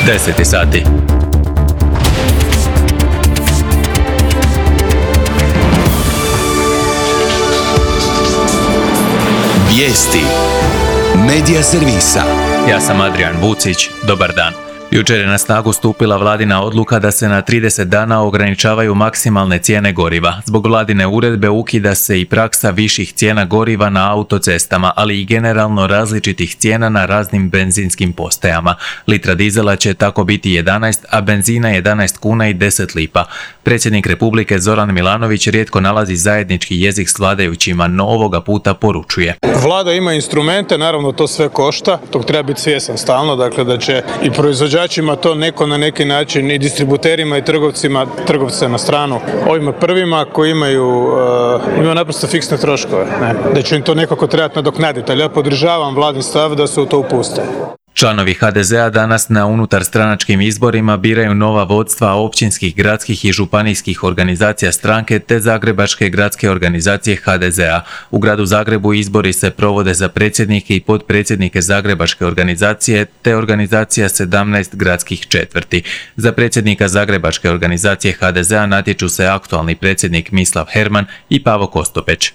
10 sati. Vijesti Medija servisa. Ja sam Adrian Vucić, dobar dan. Jučer je na snagu stupila vladina odluka da se na 30 dana ograničavaju maksimalne cijene goriva. Zbog vladine uredbe ukida se i praksa viših cijena goriva na autocestama, ali i generalno različitih cijena na raznim benzinskim postajama. Litra dizela će tako biti 11, a benzina 11 kuna i 10 lipa. Predsjednik Republike Zoran Milanović rijetko nalazi zajednički jezik s vladajućima, no ovoga puta poručuje. Vlada ima instrumente, naravno to sve košta, tog treba biti svjestan stalno, dakle da će i proizvođačima to neko na neki način i distributerima i trgovce na stranu ovima prvima koji imaju naprosto fiksne troškove, da će im to nekako trebati nadoknaditi, ali ja podržavam vladin stav da se u to upuste. Članovi HDZ-a danas na unutarstranačkim izborima biraju nova vodstva općinskih, gradskih i županijskih organizacija stranke te Zagrebačke gradske organizacije HDZ-a. U gradu Zagrebu izbori se provode za predsjednike i potpredsjednike Zagrebačke organizacije te organizacija 17 gradskih četvrti. Za predsjednika Zagrebačke organizacije HDZ-a natječu se aktualni predsjednik Mislav Herman i Pavo Kostopeć.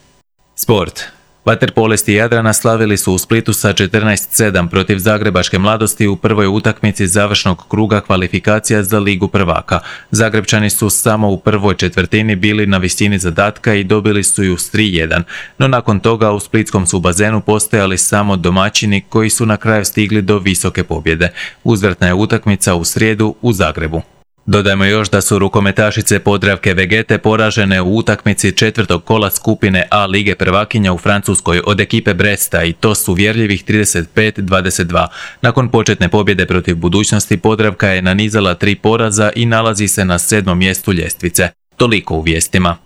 Sport. Vaterpolisti Jadrana slavili su u Splitu sa 14:7 protiv Zagrebačke mladosti u prvoj utakmici završnog kruga kvalifikacija za Ligu prvaka. Zagrebčani su samo u prvoj četvrtini bili na visini zadatka i dobili su ju s 3:1, no nakon toga u splitskom su bazenu postojali samo domaćini koji su na kraju stigli do visoke pobjede. Uzvratna je utakmica u srijedu u Zagrebu. Dodajmo još da su rukometašice Podravke Vegete poražene u utakmici četvrtog kola skupine A Lige prvakinja u Francuskoj od ekipe Bresta i to su uvjerljivih 35-22. Nakon početne pobjede protiv Budućnosti Podravka je nanizala 3 poraza i nalazi se na 7. mjestu ljestvice. Toliko u vijestima.